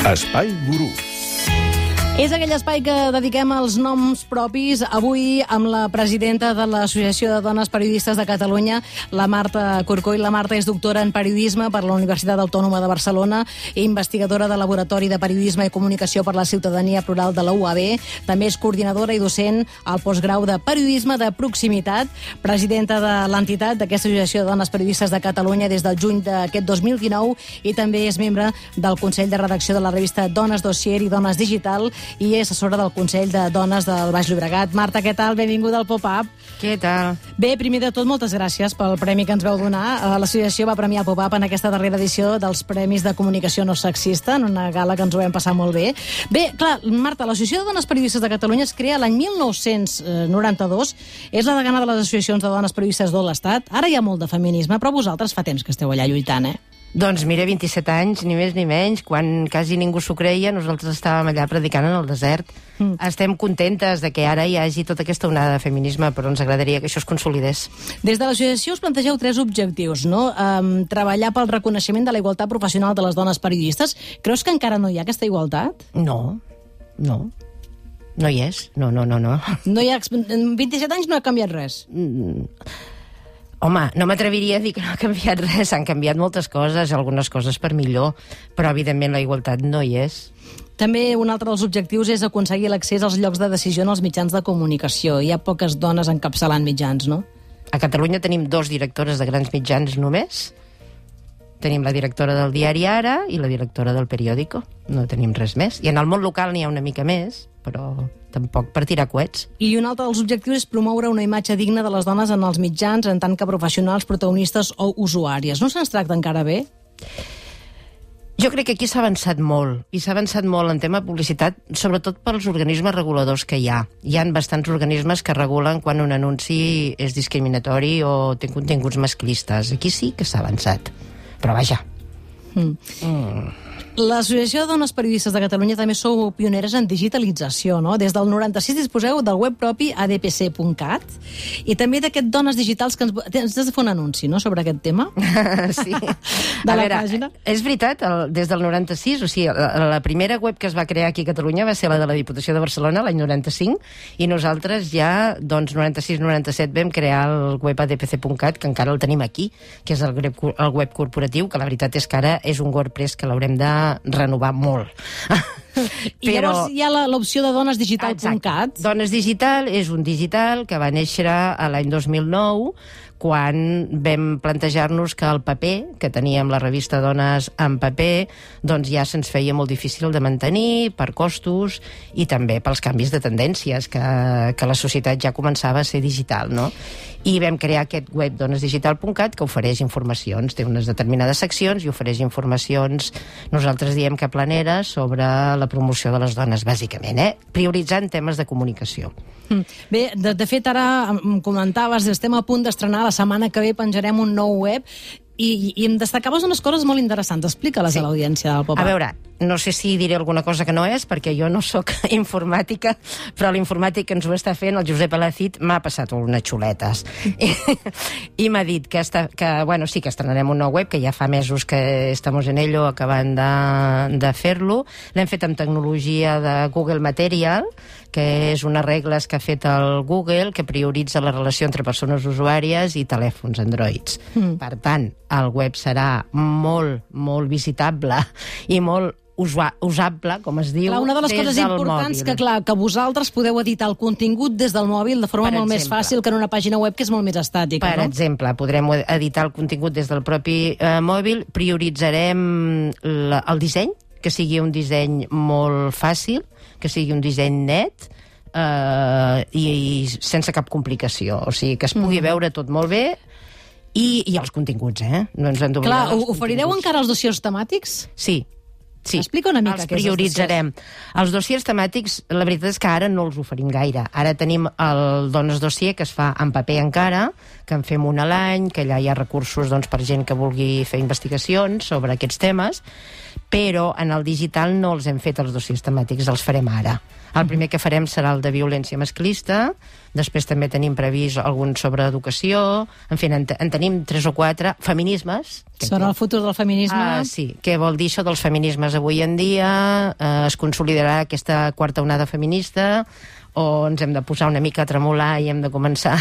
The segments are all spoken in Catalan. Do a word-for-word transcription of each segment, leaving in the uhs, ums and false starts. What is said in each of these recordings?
Espai Gurú. És aquell espai que dediquem als noms propis, avui amb la presidenta de l'Associació de Dones Periodistes de Catalunya, la Marta Corcoll. La Marta és doctora en periodisme per la Universitat Autònoma de Barcelona i investigadora del Laboratori de Periodisme i Comunicació per la Ciutadania Plural de la U A B. També és coordinadora i docent al postgrau de Periodisme de Proximitat, presidenta de l'entitat d'aquesta Associació de Dones Periodistes de Catalunya des del juny d'aquest dos mil dinou i també és membre del Consell de Redacció de la revista Dones Dossier i Dones Digital i és assessora del Consell de Dones del Baix Llobregat. Marta, què tal? Benvinguda al Pop-Up. Què tal? Bé, primer de tot, moltes gràcies pel premi que ens vau donar. L'associació va premiar el Pop-Up en aquesta darrera edició dels Premis de Comunicació No Sexista, en una gala que ens ho vam passar molt bé. Bé, clar, Marta, l'Associació de Dones Periodistes de Catalunya es crea l'any mil nou-cents noranta-dos. És la degana de les associacions de dones periodistes de l'Estat. Ara hi ha molt de feminisme, però vosaltres fa temps que esteu allà lluitant, eh? Doncs mira, vint-i-set anys, ni més ni menys, quan quasi ningú s'ho creia, nosaltres estàvem allà predicant en el desert. Mm. Estem contentes de que ara hi hagi tota aquesta onada de feminisme, però ens agradaria que això es consolidés. Des de l'associació us plantegeu tres objectius, no? Um, treballar pel reconeixement de la igualtat professional de les dones periodistes. Creus que encara no hi ha aquesta igualtat? No, no. No hi és. No, no, no, no. No hi ha... En vint-i-set anys no ha canviat res. Mm. Home, no m'atreviria a dir que no ha canviat res. Han canviat moltes coses, algunes coses per millor, però evidentment la igualtat no hi és. També un altre dels objectius és aconseguir l'accés als llocs de decisió en els mitjans de comunicació. Hi ha poques dones encapçalant mitjans, no? A Catalunya tenim dos directores de grans mitjans només. Tenim la directora del diari Ara i la directora del periòdico. No tenim res més. I en el món local n'hi ha una mica més, però tampoc per tirar coets. I un altre dels objectius és promoure una imatge digna de les dones en els mitjans en tant que professionals, protagonistes o usuàries. No se'ns tracta encara bé? Jo crec que aquí s'ha avançat molt, i s'ha avançat molt en tema publicitat, sobretot pels organismes reguladors que hi ha. Hi ha bastants organismes que regulen quan un anunci és discriminatori o té continguts masclistes. Aquí sí que s'ha avançat. Però vaja. Mm. Mm. L'Associació de Dones Periodistes de Catalunya també sou pioneres en digitalització, no? Des del noranta-sis disposeu del web propi a d p c punt cat i també d'aquest Dones Digitals que ens, ens has de fer un anunci, no?, sobre aquest tema. Sí. De la veure, pàgina. És veritat, el, des del noranta-sis, o sigui, la, la primera web que es va crear aquí a Catalunya va ser la de la Diputació de Barcelona, l'any noranta-cinc, i nosaltres ja, doncs, noranta-sis noranta-set vam crear el web a d p c punt cat, que encara el tenim aquí, que és el web, el web corporatiu, que la veritat és que ara és un WordPress que l'haurem de renovar molt. I Però... llavors hi ha l'opció de dones digital punt cat. Dones Digital és un digital que va néixer a l'any dos mil nou, quan vam plantejar-nos que el paper, que teníem la revista Dones en paper, doncs ja se'ns feia molt difícil de mantenir per costos i també pels canvis de tendències, que, que la societat ja començava a ser digital, no? I vam crear aquest web dones digital punt cat que ofereix informacions, té unes determinades seccions i ofereix informacions, nosaltres diem que planeres, sobre la promoció de les dones, bàsicament, eh? Prioritzant temes de comunicació. Bé, de, de fet, ara em comentaves, estem a punt d'estrenar, la setmana que ve penjarem un nou web i, i em destacaves unes coses molt interessants. Explica-les sí. a l'audiència del Pop-Up. A veure, no sé si diré alguna cosa que no és, perquè jo no sóc informàtica, però l'informàtic que ens ho està fent, el Josep Alacid, m'ha passat unes xuletes. I, i m'ha dit que, està, que, bueno, sí que estrenarem un nou web, que ja fa mesos que estamos en ello, acabant de, de fer-lo. L'hem fet amb tecnologia de Google Material, que és unes regles que ha fet el Google, que prioritza la relació entre persones usuàries i telèfons Androids. Mm. Per tant, el web serà molt, molt visitable i molt usable, com es diu, clar, una de les coses importants mòbil. que, clar, que vosaltres podeu editar el contingut des del mòbil de forma per molt exemple, més fàcil que en una pàgina web que és molt més estàtica. Per no? exemple, podrem editar el contingut des del propi eh, mòbil, prioritzarem la, el disseny, que sigui un disseny molt fàcil, que sigui un disseny net, eh, i, i sense cap complicació, o sigui, que es pugui mm. veure tot molt bé. I, i els continguts, eh? No ens hem d'oblidar. Clar, oferireu encara els dossiers temàtics? Sí. Sí, explica una mica els prioritzarem. Els dossiers temàtics, la veritat és que ara no els oferim gaire. Ara tenim el Dones Dossier, que es fa en paper encara, que en fem un a l'any, que allà hi ha recursos doncs, per gent que vulgui fer investigacions sobre aquests temes, però en el digital no els hem fet els dossiers temàtics, els farem ara. El primer que farem serà el de violència masclista, després també tenim previst algun sobre educació, en fi, en, en tenim tres o quatre. Feminismes. Són el futur del feminisme. Ah, sí, què vol dir això dels feminismes avui en dia? Eh, es consolidarà aquesta quarta onada feminista, o ens hem de posar una mica a tremolar i hem de començar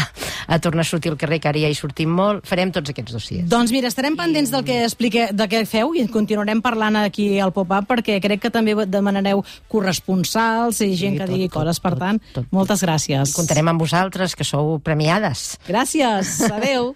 a tornar a sortir al carrer, que ara ja hi sortim molt. Farem tots aquests dossiers. Doncs mira, estarem pendents del que explique, del que feu, i continuarem parlant aquí al Pop-Up, perquè crec que també demanareu corresponsals i gent Sí, que tot, digui tot, coses. Per tot, tant, tot, tot. moltes gràcies. Comptarem amb vosaltres, que sou premiades. Gràcies. Adéu.